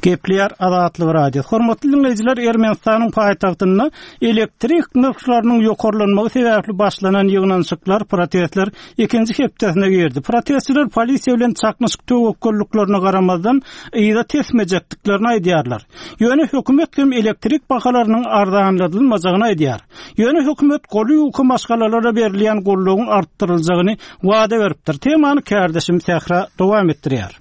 Gepleýär Azatlyk Radiosy. Hormatly diňleýjiler, Ermenistanyň paýtagtynda elektrik nyrhlarynyň ýokarlanmagy sebäpli başlanan ýygnanyşyklar, protestler ikinji hepdesine girdi. Protestçiler polisiýa bilen çaknyşyk töwekgelliklerine garamazdan, yza tesmejekdiklerini aýdýarlar. Ýöne hökümet hem elektrik bahalarynyň arzanladylmajagyny aýdýar. Ýöne hökümet goly ýuka maşgalalara berilýän goldawyň artdyryljagyny wada beripdir. Temany kärdeşim Sähra dowam etdirýär.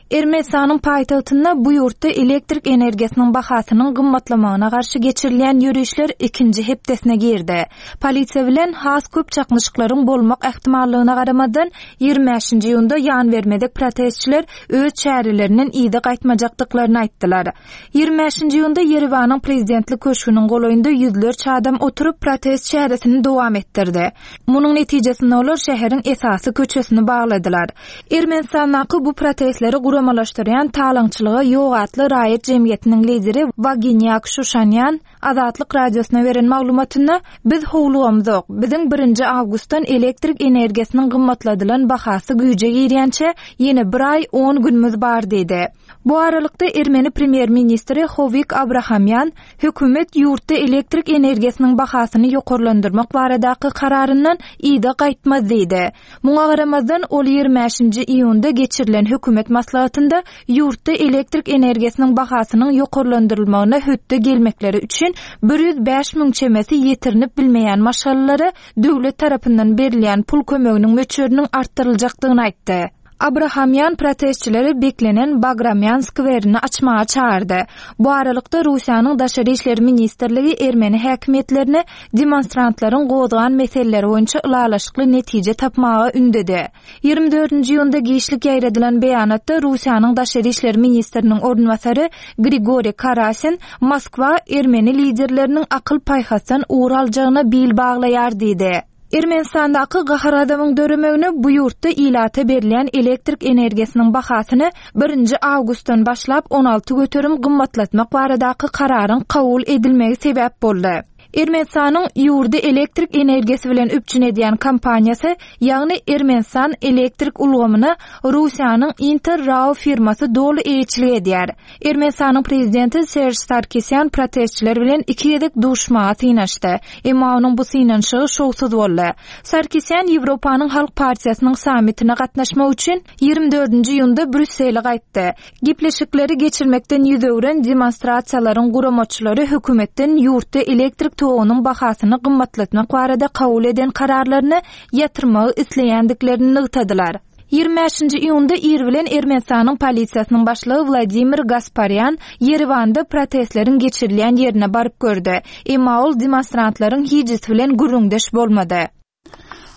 Ermenistanyň paýtagtynda bu ýurtda elektrik energiýasynyň bahasynyň gymmatlamagyna garşy geçirilýän ýörişler ikinji hepdesine girdi. Polisiýa bilen has köp çaknyşyklaryň bolmak ähtimallygyna garamazdan, 25-nji iýunda ýanbermezek protestçiler öz çärelerinden yza gaýtmajakdyklaryny aýtdylar. 25-nji iýunda Ýerewanyň Prezidentlik köşgüniň golaýynda ýüzlerçe adam oturyp, protest çäresini dowam etdirdi. Munuň netijesinde olar şäheriň esasy köçesini bagladylar. Ermenistandaky bu protestleri guramalaşdyrýan Talaňçylyga ýok atly raýat jemgyýetiniň lideri Waginýak Şuşanýan Azatlyk Radiosyna beren maglumatynda, Biz howlugamzok. Biziň birinji awgustdan elektrik energiýasynyň gymmatladylan bahasy güýje girýänçä ýene bir aý on günümiz bar diýdi. Bu aralykda, ermeni premýer-ministri Howik Abrahamýan hökümet ýurtda elektrik energiýasynyň bahasyny ýokarlandyrmak baradaky kararyndan yza gaýtmaz diýdi. Muňa garamazdan, ol 25-nji iýunda geçirilen hökümet maslahatynda ýurtda elektrik energiýasynyň bahasynyň ýokarlandyrylmagyna hötde gelmekleri üçin 105 müň çemesi ýetirinip bilmeýän maşgalalara döwlet tarapyndan berilýän pul kömeginiň möçberiniň artdyryljakdygyny aýtdy. Abrahamýan protestçileri beklenen Bagramýan skwerini açmaga çagyrdy. Bu aralykda, Russiýanyň Daşary işler ministrligi ermeni häkimiýetlerini demonstrantlaryň gozgan meseleleri boýunça ylalaşykly netije tapmaga ündedi. 24-nji iýunda giçlik ýaýradylan beýanatda Russiýanyň Daşary işler ministriniň orunbasary Grigoriý Karasin Moskwa ermeni liderleriniň akyl-paýhasdan ugur aljagyna bil baglaýar diýdi. Ermenistandaky gahar-gazabyň döremegine bu ýurtda ilata berilýän elektrik energiýasynyň bahasyny birinji awgustdan başlap 16% gymmatlatmak baradaky kararyň kabul edilmegi sebäp boldy. Ermenistanyň ýurdy elektrik energiýasy bilen üpjün edýän kompaniýasy, ýagny Ermenistan elektrik ulgamyna Russiýanyň Inter RAO firmasy doly eýeçilik edýär. Ermenistanyň prezidenti Serž Sarkisýan protestçiler bilen iki gezek duşmaga synanyşdy. Emma onuň bu synanyşygy şowsuz boldy. Sarkisýan Ýewropanyň Halk partiýasynyň sammitine gatnaşmak üçin 24-nji iýunda Brýussele gaýtdy. Gepleşikleri geçirmekden ýüz öwren demonstrasiýalaryň guramaçylary hökümetden ýurtda elektrik togunyň bahasyny gymmatlatmak barada kabul eden kararlaryny ýatyrmagy isleýändiklerini nygtadylar. 25-nji iýunda ir bilen Ermenistanyň polisiýasynyň başlygy Wladimir Gasparýan Ýerewanda protestleriň geçirilýän ýerine baryp gördi. Emma ol demonstrantlaryň hijisi bilen gürrüňdeş bolmady.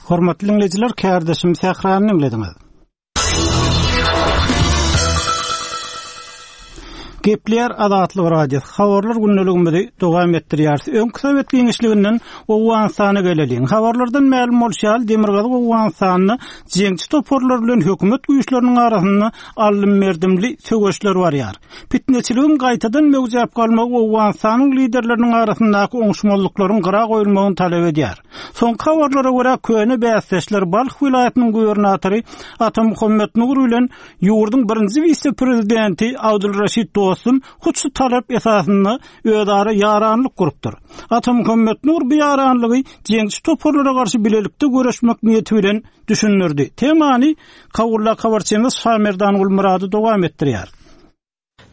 Hormatly diňleýjiler, kärdeşim Sährany diňlediňiz. Gepleýär Azatlyk Radiosy. Habarlar gündeligimizi dowam etdirýäris. Öňki sowet giňişliginden Owganystana geleliň. Habarlardan mälim bolşy ýaly, Demirgazyk Owganystanda jeňçi toparlar bilen hökümet güýçleriniň arasynda aldym-berdimli söweşler barýar. Pitneçiligiň gaýtadan möwjäp galmagy Owganystanyň liderleriniň arasyndaky oňuşmazlyklaryň gyra goýulmagyny talap edýär. Soňky habarlara görä, köne bäsdeşler Balh welaýatynyň gubernatory Atamuhammet Nur bilen ýurduň birinji wise-prezidenti Abdulraşid Dostum hut şu talap esasynda özara ýaranlyk gurupdyr. Atamuhammet Nur bu ýaranlygy jeňçi toparlara garşy bilelikde göreşmek niýeti bilen düşündirdi. Temany Kabuldaky habarçymyz Şamerdan Gulmyrady dowam etdirýär.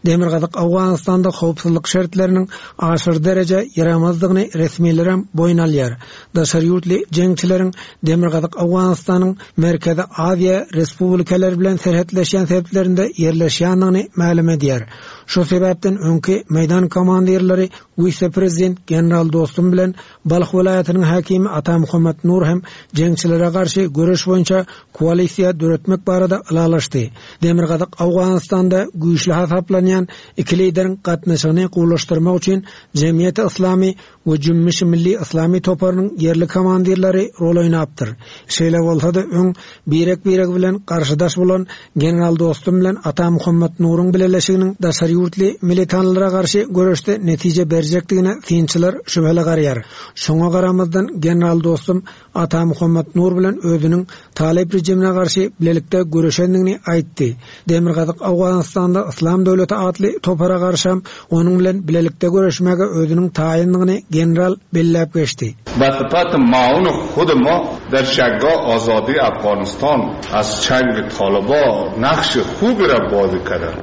Demirgazyk Owganystanda howpsuzlyk şertleriniň aşyr dereje ýaramazdygyny resmilerem boýun alýar. Daşary ýurtly jeňçileriň Demirgazyk Owganystanyň Merkezi Aziýa respublikalary bilen serhetleşýän sebitlerinde ýerleşýändigini mälim edýär. Şu sebäpden öňki meýdan komandirleri wise-prezident general Dostum bilen Balh welaýatynyň häkimi Atamuhammet Nur hem jeňçilere garşy göreş boýunça koalisiýa döretmek barada ylalaşdy. Demirgazyk Owganystanda güýçli hasaplanýan iki lideriň gatnaşygyny gowulaşdyrmak üçin Jemgyýeti Yslamy we Jümmüşi Milli Yslamy toparynyň ýerli komandirleri rol oýnapdyr. Şeýle bolsa-da öň birek-biregi bilen garşydaş bolan general Dostum bilen Atamuhammet Nuruň bileleşiginiň daşary ýurtly militanlara garşy göreşde netije berjekdigine synçylar şübheli garaýar. Şoňa garamazdan general Dostum Atamuhammet Nur bilen özüniň Talyp režimine garşy bilelikde göreşendigini aýtdy. Demirgazyk Owganystanda Yslam döwleti. atly topara garşam onuň bilen bilelikde göreşmäge özüniň taýyndygyny general belläp geçdi. Ba sypaty maun hud ma der şagga azadi Afganistan az çang talyba nahşy hubi ra bazi kadan.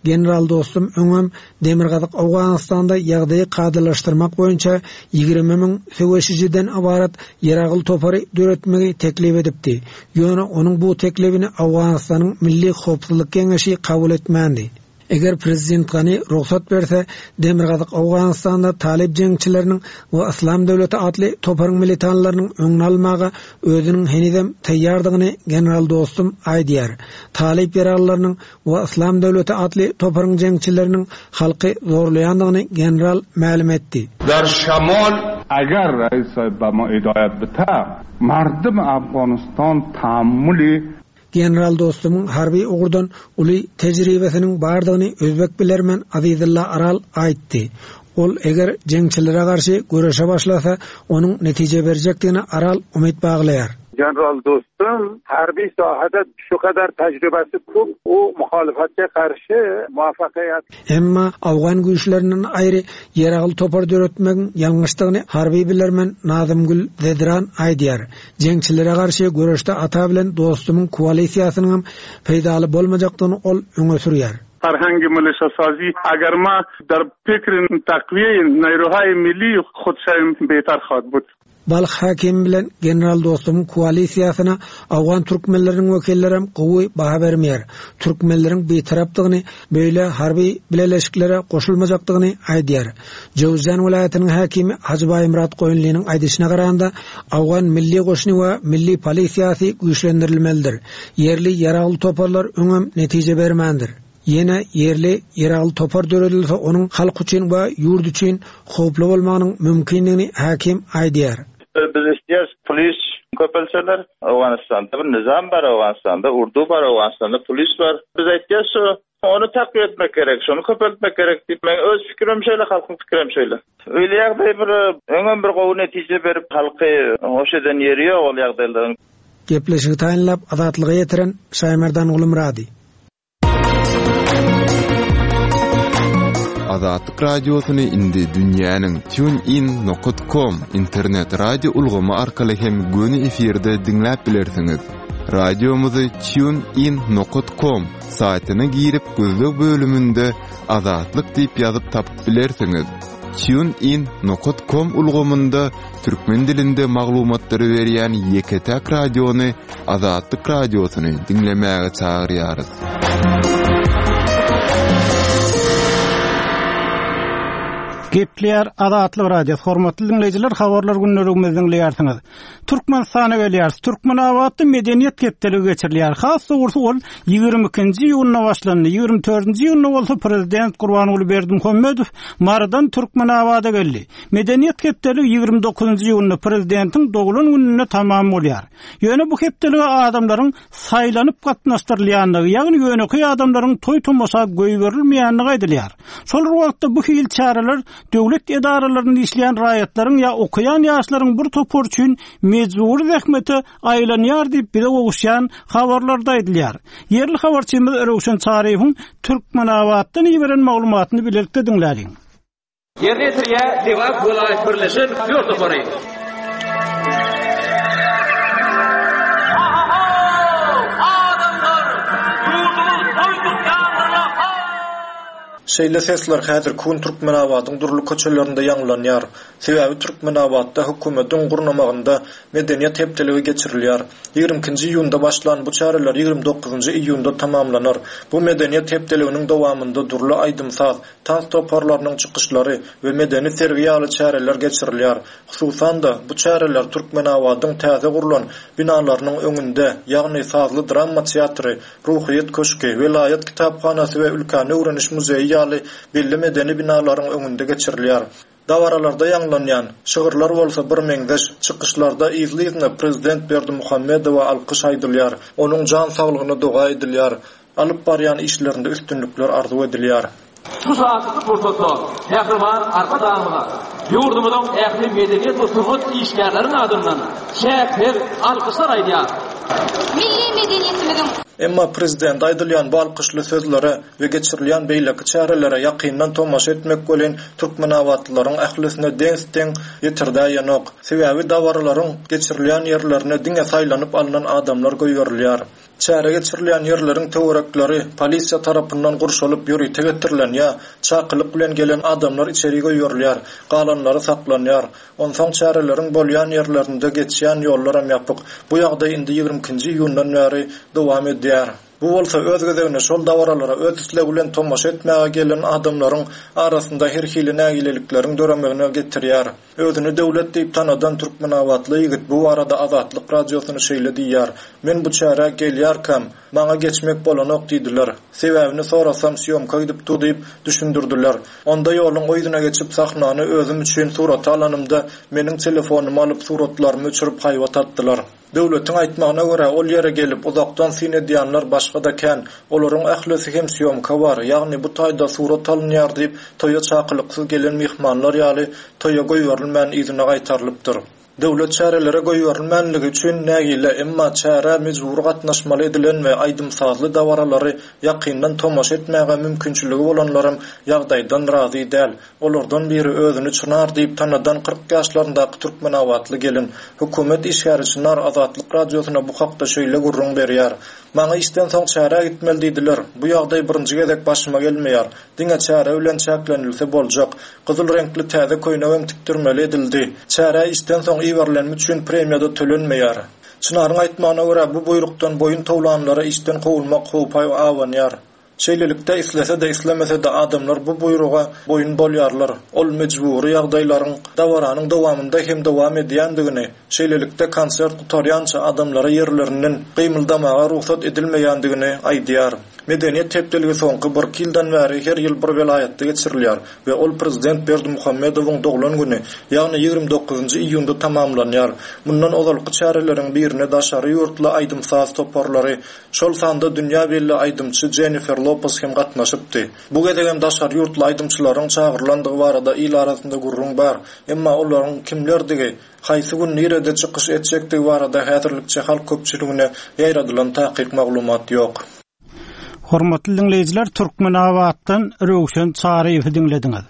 General Dostum öňem Demirgazyk Owganystanda ýagdaýy kadalaşdyrmak boýunça 20 müň söweşijiden ybarat ýaragly topary döretmegi teklip edipdi. Ýöne onuň bu teklibini Owganystanyň Milli howpsuzlyk geňeşi kabul etmändi. Eger prezident Gani rugsat berse, Demirgazyk Owganystanda talyp jeňçileriniň we Yslam döwleti atly toparyň militanlarynyň öňüni almaga özüniň henizem taýýardygyny general Dostum aýdýar. Talyp ýaraglylarynyň we Yslam döwleti atly toparyň jeňçileriniň halky zorlaýandygyny general mälim etdi. Der şemal Eger reis sahib be ma hidayet bite, merdum Afganistan tahammuli General Dostumyň harby ugurdan uly tejribesiniň bardygyny özbek bilermen Azizulla Aral aýtdy. Ol eger jeňçilere garşy göreşe başlasa, onuň netije berjekdigine Aral umyt baglaýar. General Dostum harbiy sohada shu qadar tajribasi ko'p, u muxolifatga qarshi muvaffaqiyat. Emma owgan güýçlerinden aýry ýaragly topar döretmegiň ýalňyşdygyny harby bilermen Nazymgül Zedran aýdýar. Jeňçilere garşy göreşde Ata bilen Dostumyň koalisiýasynyňam peýdaly bolmajakdygyny ol öňe sürýär. Farhangi milişasazi agar ma dar fikri takwiye neyruhay milli hud şayim betar khad bud. Balh häkimi bilen general Dostumyň koalisiýasyna owgan türkmenleriniň wekillerem gowy baha bermeýär. Türkmenleriň bitarapdygyny, beýle harby bileleşiklere goşulmajakdygyny aýdýar. Jöwüzjan welaýatynyň häkimi Hajy Baýmyrat Goýunlynyň aýdyşyna garanda, owgan milli goşuny we milli polisiýasy güýçlendirilmelidir. Ýerli ýaragly toparlar öňem netije bermändir. Ýene ýerli ýaragly topar döredilse onuň halk üçin we ýurt üçin howply bolmagynyň mümkindigini häkim aýdýar. Biz isleýäris polis köpelseler. Owganystanda bir nyzam bar, Owganystanda urdu bar, Owganystanda polis bar. Biz aýtýas şu ony takwiýe etmek gerek, şony köpeltmek gerek diýip. Meň öz pikirim şeýle, halkyň pikirem şeýle. Öýle ýagdaý bir öňem bir gowy netije berip halky hoş eden ýeri ýok ol ýagdaýlaryň. Gepleşigi taýynlap Azatlyga ýetiren Şaýmerdan Gulumyrady. Azatlyk Radiosyny indi dünýäniň TuneIn nokat com internet radio ulgamy arkaly hem göni efirde diňläp bilersiňiz. Radiomyzy TuneIn nokat com saýtyna girip gözleg bölüminde Azatlyk diýip ýazyp tapyp bilersiňiz. TuneIn nokat com ulgamynda türkmen dilinde maglumatlary berýän ýeke-täk radiony Azatlyk Radiosyny diňlemäge çagyrýarys. Gepleýär Azatlyk Radiosy. Hormatly diňleýjiler, habarlar gündeligimizi diňleýärsiňiz. Türkmenistana gelýäris. Türkmenabatda Medeniýet hepdeligi geçirilýär. Has dogrusy ol 22-nji iýunda başlandy. 24-nji iýunda bolsa prezident Gurbanguly Berdimuhamedow Marydan Türkmenabada geldi. Medeniýet hepdeligi 29-njy iýunda prezidentiň doglan gününde tamam bolýar. Ýöne bu hepdelige adamlaryň saýlanyp gatnaşdyrylýandygy, ýagny ýönekeý adamlaryň toý-tomaşa goýberilmeýändigi aýdylýar. Şol bir wagtda bu hili çäreler döwlet edaralarynda işleýän raýatlaryň ýa okaýan ýaşlaryň bir topary üçin mejbury zähmete aýlanýar diýip bize gowuşýan habarlarda aýdylýar. Ýerli habarçymyz Röwşen Çaryýewiň Türkmenabatdan iberen maglumatyny bilelikde diňläliň. Ýerine ýetirýär Lebap welaýat birleşen aktýor topary. Şeýle sesler häzirki gün Türkmenabadyň dürli köçelerinde ýaňlanýar. Sebäbi Türkmenabatda hökümetiň gurnamagynda Medeniýet hepdeligi geçirilýär. Ýigrimi ikinji iýunda başlan bu çäreler ýigrimi dokuzynjy iýunda tamamlanar. Bu Medeniýet hepdeliginiň dowamynda dürli aýdym-saz, tans toparlarynyň çykyşlary we medeni sergi ýaly çäreler geçirilýär. Hususan-da, bu çäreler Türkmenabadyň täze gurlan binalarynyň öňünde, ýagny sazly drama teatry, Ruhyýet köşgi, welaýat kitaphanasy we ülkäni öwreniş muzeýi ýaly belli medeni binalaryň öňünde geçirilýär. Dabaralarda ýaňlanýan şygyrlar bolsa birmeňzeş, çykyşlarda yzly-yzyna prezident Berdimuhamedowa alkyş aýdylýar, onuň jan saglygyna doga edilýär, alyp barýan işlerinde üstünlikler arzuw edilýär. Şu şatlykly pursatda Mähriban Arkadagymyza ýurdumyzyň ähli medeniýet we sungat işgärleriniň adyndan çäksiz alkyşlar aýdýarys. Milli medeniýetimiziň. Emma prezidente aýdylýan bu alkyşly sözlere we geçirilýän beýleki çärelere ýakyndan tomaşa etmek welin türkmenabatlylaryň ählisine deňs-deň ýetirdäýenok. Sebäbi dabaralaryň geçirilýän ýerlerine diňe saýlanyp alnan adamlar goýberilýär. Çäre geçirilýän ýerleriň töwerekleri polisiýa tarapyndan gurşalyp ýörite getirilen ýa çakylyk bilen gelen adamlar içeri goýberilýär, galanlary saklanýar. Onsoň çäreleriň bolýan ýerlerinde geçýän ýollaram ýapyk. Bu ýagdaý indi 22-nji iýundan bäri dowam edýär. Bu bolsa öz gezeginde şol dabaralara öz islegi bilen tomaşa etmäge gelen adamlaryň arasynda her hili nägilelikleriň döremegine getirýär. Özüni Döwlet diýip tanadan türkmenabatly ýigit bu barada Azatlyk Radiosyna şeýle diýýär, Men bu çärä gelýärkäm, maňa geçmek bolanok diýdiler. Sebäbini sorasam, sýomka gidip dur diýip düşündirdiler. Onda ýoluň o ýüzüne geçip sahnany özüm üçin surata alanymda, meniň telefonymy alyp suratlarymy öçürip haýbat atdylar. Döwletiň aýtmagyna görä, ol ýere gelip, uzakdan syn edýänler başga-da kän. Olaryň ählisi hem sýomka bar, ýagny bu taýda surat alynýar diýip, toýa çakylyksyz gelen myhmanlar ýaly toýa goýberilmän yzyna gaýtarylypdyr. Döwlet çärelere goýberilmänligi üçin nägile, emma çärä mejbury gatnaşmaly edilen we aýdym-sazly dabaralary ýakyndan tomaşa etmäge mümkinçiligi bolanlaram ýagdaýdan razy däl. Olardan biri özüni Çynar diýip tanadan 40 ýaşlaryndaky türkmenabatly gelin. Hökümet işgäri Çynar Azatlyk Radiosyna bu hakda şeýle gürrüň berýär, Maňa işden soň çärä gitmeli diýdiler. Bu ýagdaý birinji gezek başyma gelmeýär. Diňe çäre bilen çäklenilse boljak. Gyzyl reňkli täze köýnegem tikdirmeli edildi. Çärä işden soň iberilenim üçin premiýa-da tölenmeýär. Çynaryň aýtmagyna görä, bu buýrukdan boýun towlanlara işden kowulmak howpy abanýar. Şeýlelikde, islese-de, islemese-de adamlar bu buýruga boýun bolýarlar. Ol mejbury ýagdaýlaryň dabaranyň dowamynda hem dowam edýändigini, şeýlelikde, konsert gutarýança adamlara ýerlerinden gymyldamaga rugsat edilmeýändigini aýdýar. Medeniýet hepdeligi soňky birki ýyldan bäri her ýyl bir welaýatda geçirilýär we ol prezident Berdimuhamedowyň doglan güni, ýagny 29-njy iýunda tamamlanýar. Mundan ozalky çäreleriň birine daşary ýurtly aýdym-saz toparlary, Şol sanda dünýä belli aýdymçy Jennifer Lopes hem gatnaşypdy. Bu gezegem daşary ýurtly aýdymçylaryň çagyrylandygy barada il arasynda gürrüň bar. Emma olaryň kimlerdigi, haýsy gün nirede çykyş etjekdigi barada häzirlikçe halk köpçüligine ýaýradylan takyk maglumat ýok. Hormatly diňleýjiler, Türkmenabatdan Röwşen Çaryýewi diňlediňiz.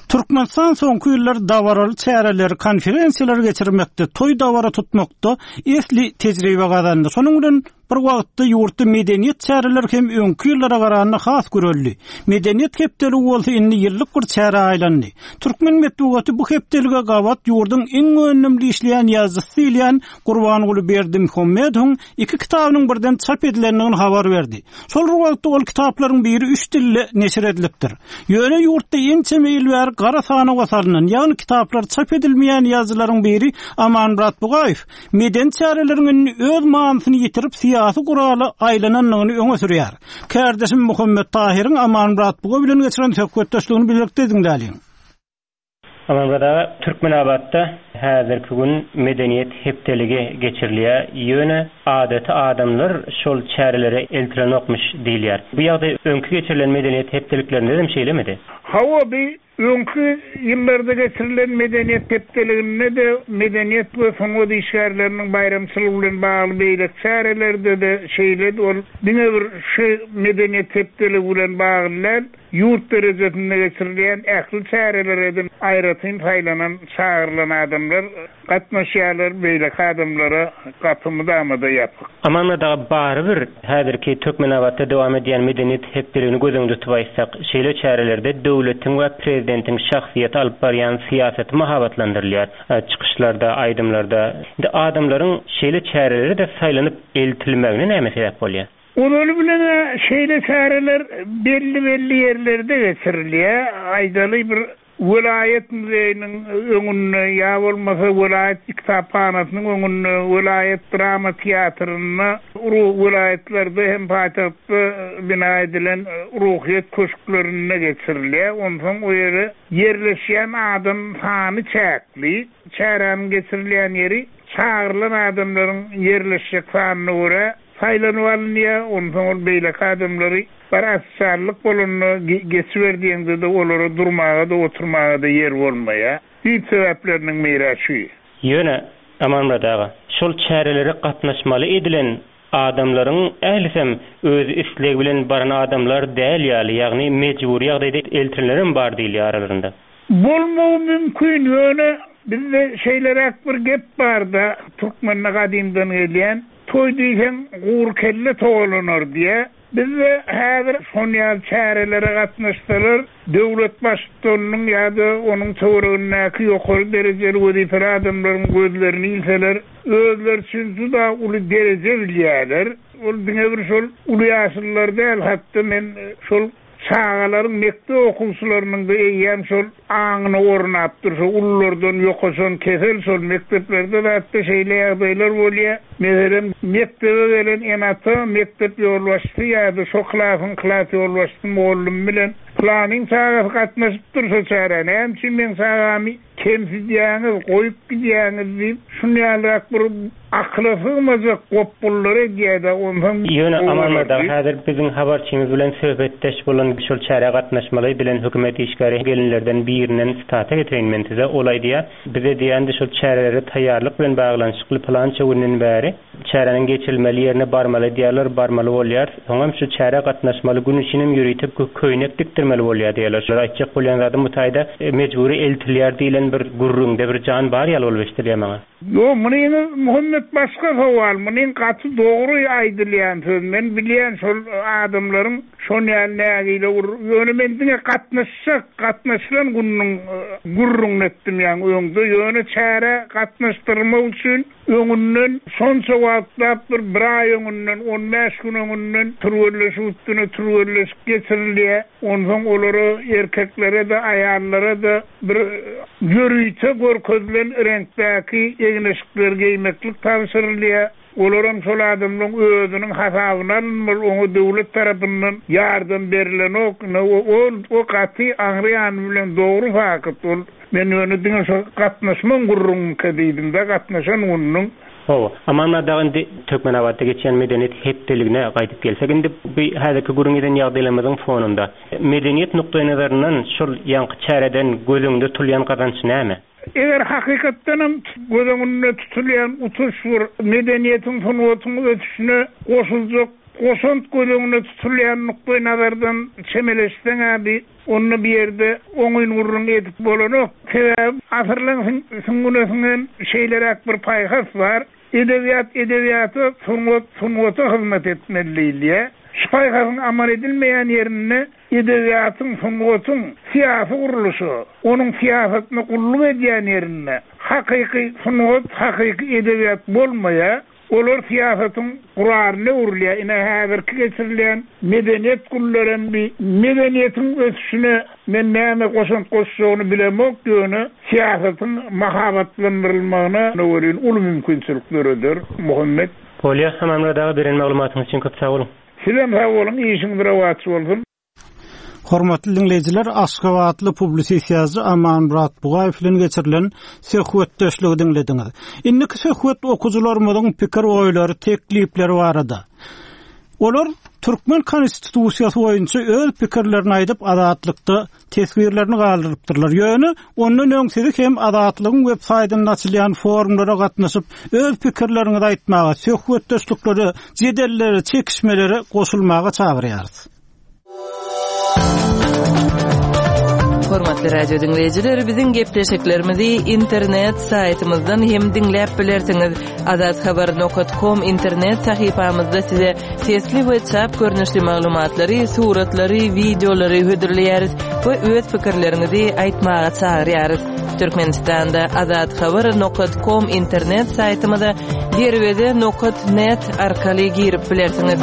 Türkmenistan soňky ýyllar dabaraly çäreleri, konferensiýalary geçirmekde, toý-dabara tutmakda esli tejribe gazandy. Şonuň bilen bir wagtda ýurtda medeniýet çäreleri hem öňki ýyllara garanda has güreldi. Medeniýet hepdeligi bolsa indi ýyllyk bir çärä aýlandy. Türkmen metbugaty bu hepdelige gabat ýurduň iň öndümli işleýän ýazyjysy diýilýän Gurbanguly Berdimuhamedowyň iki kitabynyň birden çap edilendigini habar berdi. Şol bir wagtda ol kitaplaryň biri üç dilde neşir edilipdir. Ýöne ýurtda ençeme ýyl bäri gara sanawa salnan, ýagny kitaplary çap edilmeýän ýazyjylaryň biri Amanmyrat Bugaýew medeni çäreleriň indi öz manysyny ýitirip syýasy gurala aýlanandygyny öňe sürýär. Kärdeşim Muhammet Tahyryň Amanmyrat Buga bilen geçiren söhbetdeşligini bilelikde diňläliň. Amanmyrat aga, Türkmenabatda häzirki gün Medeniýet hepdeligi geçirilýär, ýöne adaty adamlar şol çärelere eltilenokmyş diýilýär. Bu ýagdaý öňki geçirilen Medeniýet hepdeliklerinde-dem şeýlemidi? Hawa, bi öňki ýyllarda geçirilen Medeniýet hepdeliginde-de, medeniýet we sungat işgärleriniň baýramçylygy bilen bagly beýleki çärelerde-de şeýledi. Ol diňe bir şu Medeniýet hepdeligi bilen bagly däl. Ýurt derejesinde geçirilýän ähli çärelere-de aýratyn saýlanan, çagyrylan adamlar gatnaşýarlar, beýleki adamlara gapy mydama-da ýapyk. Amanmyrat aga, barybir häzirki Türkmenabatda dowam edýän Medeniýet hepdeligini göz öňünde tutup aýtsak, şeýle çärelerde döwletiň we prezidentiň şahsyýeti alyp barýan syýasaty mahabatlandyrylýar, çykyşlarda, aýdymlarda. Indi adamlaryň şeýle çärelere-de saýlanyp eltilmegine näme sebäp bolýar? Ozaly bilen-ä şeýle çäreler belli-belli ýerlerde geçirilýär. Aýdaly, bir welaýat muzeýiniň öňünde ýa bolmasa welaýat kitaphanasynyň öňünde, welaýat drama teatrynda, welaýatlarda hem paýtagtda bina edilen Ruhyýet köşklerinde geçirilýär. Onsoň o ýere ýerleşýän adam sany çäkli. Çäräniň geçirilýän ýeri çagyrylan adamlaryň ýerleşjek sanyna görä Saýlanyp alynýar, onsoň ol beýleki adamlary bir ofitsiallyk bolanda geçiber diýeňde-de olara durmaga-da, oturmaga-da ýer bolmaýar. Düýp sebäpleriniň biri-ä şu. Ýöne, Amanmyrat aga, şol çärelere gatnaşmaly edilen. Adamlaryň ählisem öz islegi bilen baran adamlar däl ýaly, ýagny mejbury ýagdaýda eltilenlerem bar diýilýär aralarynda. Bolmagy mümkin, ýöne bizde şeýleräk bir gep bar-da, türkmende gadymdan gelýän, Toý diýseň, gury kelle togalanar diýýär. Bizde häzir şon ýaly çärelere gatnaşsalar, döwlet baştutanynyň ýa-da onuň töweregindäki ýokary derejeli wezipeli adamlaryň gözlerini ilseler, özleri üçin juda uly dereje bilýärler. Ol diňe bir şol uly ýaşlylar däl, hatda men şol Çagalaryň, mekdep okuwçylarynyň-da eýýäm şol aňyna ornapdyr, şo ululardan ýokaşan kesel şol mekdeplerde zatda şeýle ýagdaýlar bolýar. Meselem, mekdebe gelen ene-ata mekdep ýolbaşçysy ýa-da şo klasyň klas ýolbaşçysy mugallymy bilen Pylanyň çagasy gatnaşypdyr şo çärä, näme üçin meň çagamy kemsidýäňiz, goýup gidýäňiz diýip, şun ýalyrak bir akyla sygmajak gopgullary edýär-de, onsoň Ýöne Amanmyrat aga, häzir biziň habarçymyz bilen söhbetdeş bolan şol çärä gatnaşmaly edilen hökümet işgäri gelinlerden birinden sitata getireýin men size, ol aýdýar, Bize diýýändi şol çärelere taýýarlyk bilen baglanyşykly pylança günden bäri çäräniň geçirilmeli ýerine barmaly diýýärler, barmaly bolýar. Soňam şu çärä gatnaşmaly gün üçinem ýörite köýnek dikdirmeli bolýar diýýärler. Şular aýtjak bolýan zadym bu taýda mejbury eltilýär diýlen bir gürrüňde bir jan bar ýaly bolup eşidilýär maňa. Ýok, munyňyz Muhammet başga sowal, munyň gaty dogry aýdylýan söz, men bilýän şol adamlaryň şon ýaly nägile ur, ýöne men diňe gatnaşjak, gatnaşylan gününiň gürrüňini etdim ýaňy öňde, ýöne çärä gatnaşdyrmak üçin Öňünden şonça wagtlap bir bir aý öňünden, on bäş gün öňünden türgenleşik üstüne türgenleşik geçirilýär. Onsoň olara, erkeklere-de, aýallara-da bir ýörite görkezilen reňkdäki egin-eşikleri geýmeklik tabşyrylýar. Olaram şol adamlaryň özüniň hasabyna alynmaly, oňa döwlet tarapyndan ýardam berilenok. Ine, ol o gaty aňry ýany bilen dogry fakt. Ol Men ýöne diňe şo gatnaşmaň gürrüňiňkä diýdim-dä, gatnaşan gününiň. Hawa, Amanmyrat aga indi Türkmenabatda geçýän medeniýet hepdeligine gaýdyp gelsek indi bu häzirki gürrüň eden ýagdaýlarymyzyň fonunda medeniýet nukdaýnazaryndan şol ýaňky çäreden göz öňünde tutulýan gazanç näme? Eger hakykatdanam göz öňünde tutulýan utuş bir medeniýetiň, sungatyň ösüşine goşuljak goşant göz öňünde tutulýan nukdaýnazardan çemeleşseň-ä bi Onda bu ýerde oňyn gürrüň edip bolanok. Sebäbi asyrlaň süňňüne siňen şeýleräk bir paýhas bar, Edebiýat edebiýata, sungat sungata hyzmat etmeli diýilýär. Şu paýhasyň amal edilmeýän ýerinde edebiýatyň, sungatyň syýasy gurluşa, onuň syýasatyna gulluk edýän ýerinde hakyky sungat, hakyky edebiýat bolmaýar. Olar syýasatyň guralyna öwrülýär. Ine, häzirki geçirilýän medeniýet günlerem bi medeniýetiň ösüşine men näme goşant goşjagyny bilemok, ýöne syýasatyň mahabatlandyrylmagyna welin uly mümkinçilik döreder. Muhammet. Bolýa, Amanmyrat aga beren maglumatyňyz üçin köp sag boluň. Sizem sag boluň, işiňiz rowaç bolsun. Hormatly diňleýjiler, aşgabatly publisist ýazyjy Amanmyrat Bugaýew bilen geçirilen söhbetdeşligi diňlediňiz. Indiki söhbet okyjylarymyzyň pikir-oýlary, teklipleri barada. Olar türkmen konstitusiýasy boýunça öz pikirlerini aýdyp, Azatlykda teswirlerini galdyrypdyrlar. Ýöne ondan öň sizi hem Azatlygyň web saýtynda açylýan forumlara gatnaşyp, öz pikirleriňizi aýtmaga, söhbetdeşliklere, jedellere, çekişmelere goşulmaga çagyrýarys. Hormatly radio diňleýjiler, biziň gepleşiklerimizi internet saýtymyzdan hem diňläp bilersiňiz. Azathabar.com internet sahypamyzda size sesli we çap görnüşli maglumatlary, suratlary, wideolary hödürleýäris we öz pikirleriňizi aýtmaga çagyrýarys. Türkmenistanda azathabar.com internet saýtymyza derweze nokat net arkaly girip bilersiňiz.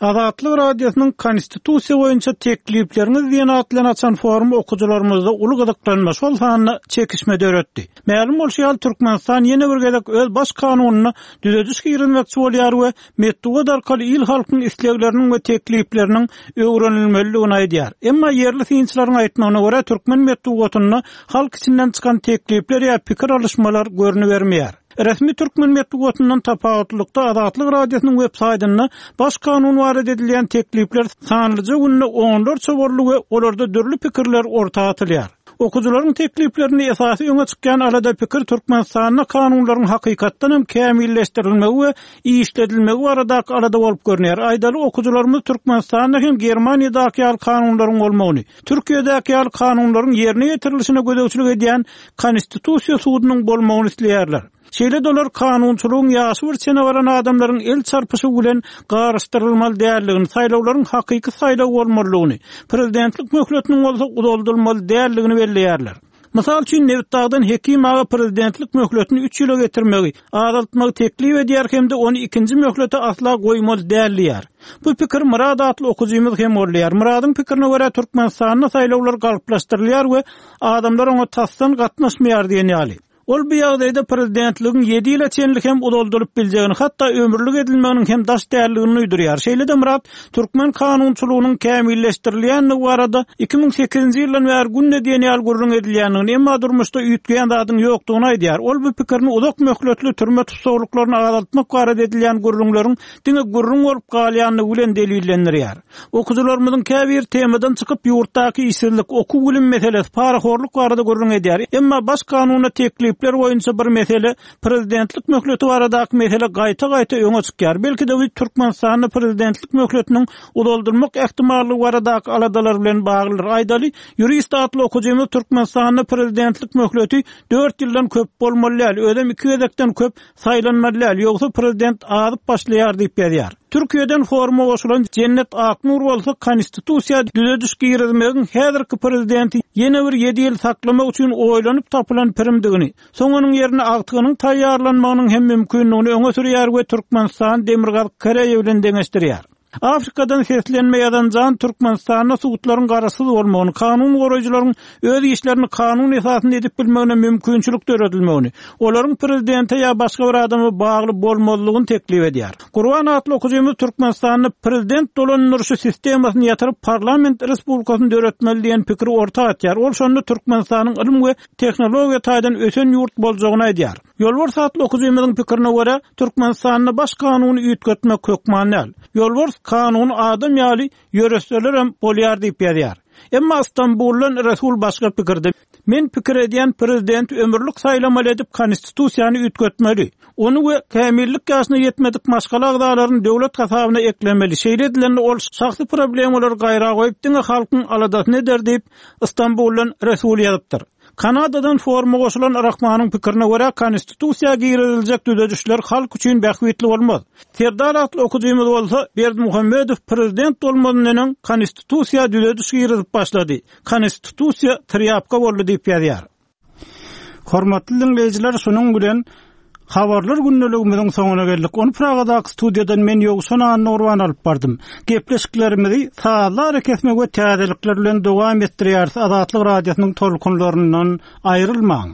Azatlyk Radiosynyň Konstitusiýa boýunça teklipleriňiz diýen at bilen açan forumy okyjylarymyzda uly gyzyklanma, şol sanda çekişme döretdi. Mälim bolşy ýaly, Türkmenistan ýene bir gezek öz Baş kanunyna düzediş girizmekçi bolýar we metbugat arkaly il-halkyň islegleriniň we teklipleriniň öwrenilmelidigini aýdýar. Emma ýerli synçylaryň aýtmagyna görä, türkmen metbugatynda halk içinden çykan teklipler ýa pikir alyşmalar görnübermeýär. Resmi türkmen metbugatyndan tapawutlylykda Azatlyk Radiosynyň web saýtynda Baş kanun barada edilýän teklipler sanlyja günde onlarça boldy we olarda dürli pikirler orta atylýar. Okyjylaryň tekliplerinde esasy öňe çykýan alada-pikir Türkmenistanda kanunlaryň hakykatdan hem kämilleşdirilmegi we işledilmegi baradaky alada bolup görünýär. Aýdaly, okyjylarymyz Türkmenistanda hem Germaniýadaky ýaly kanunlaryň bolmagyny, Türkiýedäki ýaly kanunlaryň ýerine ýetirilişine gözegçilik edýän Konstitusiýa sudunyň bolmagyny isleýärler. Şeýle-de olar kanunçylygyň ýaşy bir çene baran adamlaryň el çarpyşygy bilen garyşdyrylmaly däldigini, saýlawlaryň hakyky saýlaw bolmalydygyny, prezidentlik möhletiniň bolsa uzaldylmaly däldigini belleýärler. Mysal üçin, Nebitdagdan Hekim aga prezidentlik möhletini üç ýyla getirmegi, azaltmagy teklip edýär hem-de ony ikinji möhlete asla goýmaly däl diýýär. Bu pikiri Myrat atly okyjymyz hem goldaýar. Myradyň pikirine görä, Türkmenistanda saýlawlar galplaşdyrylýar we adamlar oňa tasdan gatnaşmaýar diýen ýaly. Ol bu ýagdaýda prezidentligiň ýedi ýyla çenli hem uzaldylyp biljegini, hatda ömürlik edilmeginiň hem daş däldigini duýdurýar. Şeýle-de Myrat türkmen kanunçylygynyň kämilleşdirilýändigi barada 2008-nji ýyldan bäri günde diýen ýaly gürrüň edilýändigini, emma durmuşda üýtgeýän zadyň ýokdugyny aýdýar. Ol bu pikirini uzak möhletli türme tussaglyklaryny azaltmak barada edilýän gürrüňleriň diňe gürrüň bolup galýandygy bilen delillendirýär. Okyjylarymyzyň käbiri temadan çykyp, ýurtdaky işsizlik, okuw-bilim meselesi, parahorluk barada gürrüň edýär. Emma Baş kanuna teklipler boýunça bir mesele, prezidentlik möhleti baradaky mesele gaýta-gaýta öňe çykýar. Belki-de bu Türkmenistanda prezidentlik möhletiniň uzaldylmak ähtimallygy baradaky aladalar bilen baglydyr. Aýdaly, ýurist atly okyjymyz Türkmenistanda prezidentlik möhleti dört ýyldan köp bolmaly däl, özem iki gezekden köp saýlanmaly däl, ýogsa prezident azyp başlaýar diýip ýazýar. Türkiýeden foruma goşulan Jennet Aknur bolsa konstitusiýa düzediş girizmegiň häzirki prezidenti ýene bir ýedi ýyl saklamak üçin oýlanyp tapylan pirimdigini, soň onuň ýerine agtygynyň taýýarlanmagynyň hem mümkindigini öňe sürýär we Türkmenistany Demirgazyk Koreýa bilen deňeşdirýär. Afrikadan seslenme ýazan Jan Türkmenistanda sudlaryň garaşsyz bolmagyny, kanun goraýjylaryň öz işlerini kanun esasynda edip bilmegine mümkinçilik döredilmegini, olaryň prezidente ýa başga bir adama bagly bolmazlygyny teklip edýär. Gurban atly okyjymyz Türkmenistanda prezident dolandyryşy sistemasyny ýatyryp parlament respublikasyny döretmeli diýen pikiri orta atýar. Ol şonda Türkmenistanyň ylym we tehnologiýa taýdan ösen ýurt boljagyny aýdýar. Ýolbars atly okyjymyzyň pikirine görä, Türkmenistanda baş kanuny üýtgetmek hökman däl. Ýolbars kanuny adam ýaly ýöretselerem bolýar diýip ýazýar. Emma Stambuldan Resul başga pikirde. Men pikir edýän prezidenti ömürlik saýlamaly edip konstitusiýany üýtgetmeli. Ony we kämillik ýaşyna ýetmedik maşgala agzalaryny döwlet hasabyna eklemeli. Şeýle edilende ol şahsy problemalary gaýra goýup diňe halkyň aladasyny eder diýip, Stambuldan Resul ýazypdyr. Kanadadan foruma goşulan Rahmanyň pikirine görä, Konstitusiýa giriziljek düzedişler halk üçin bähbitli bolmaz. Serdar atly okyjymyz bolsa, Berdimuhamedow prezident bolmazyndan öň Konstitusiýa düzediş girizip başlady. Konstitusiýa trýapka boldy diýip ýazýar. Hormatly diňleýjiler, şunuň bilen Habarlar gündeligimiziň soňuna geldik. Ony Pragadaky studiýadan men Ýowşan Annagurban alyp bardym. Gepleşiklerimizi sazly arakesme we täzelikler bilen dowam etdirýäris. Azatlyk Radiosynyň tolkunlaryndan aýrylmaň!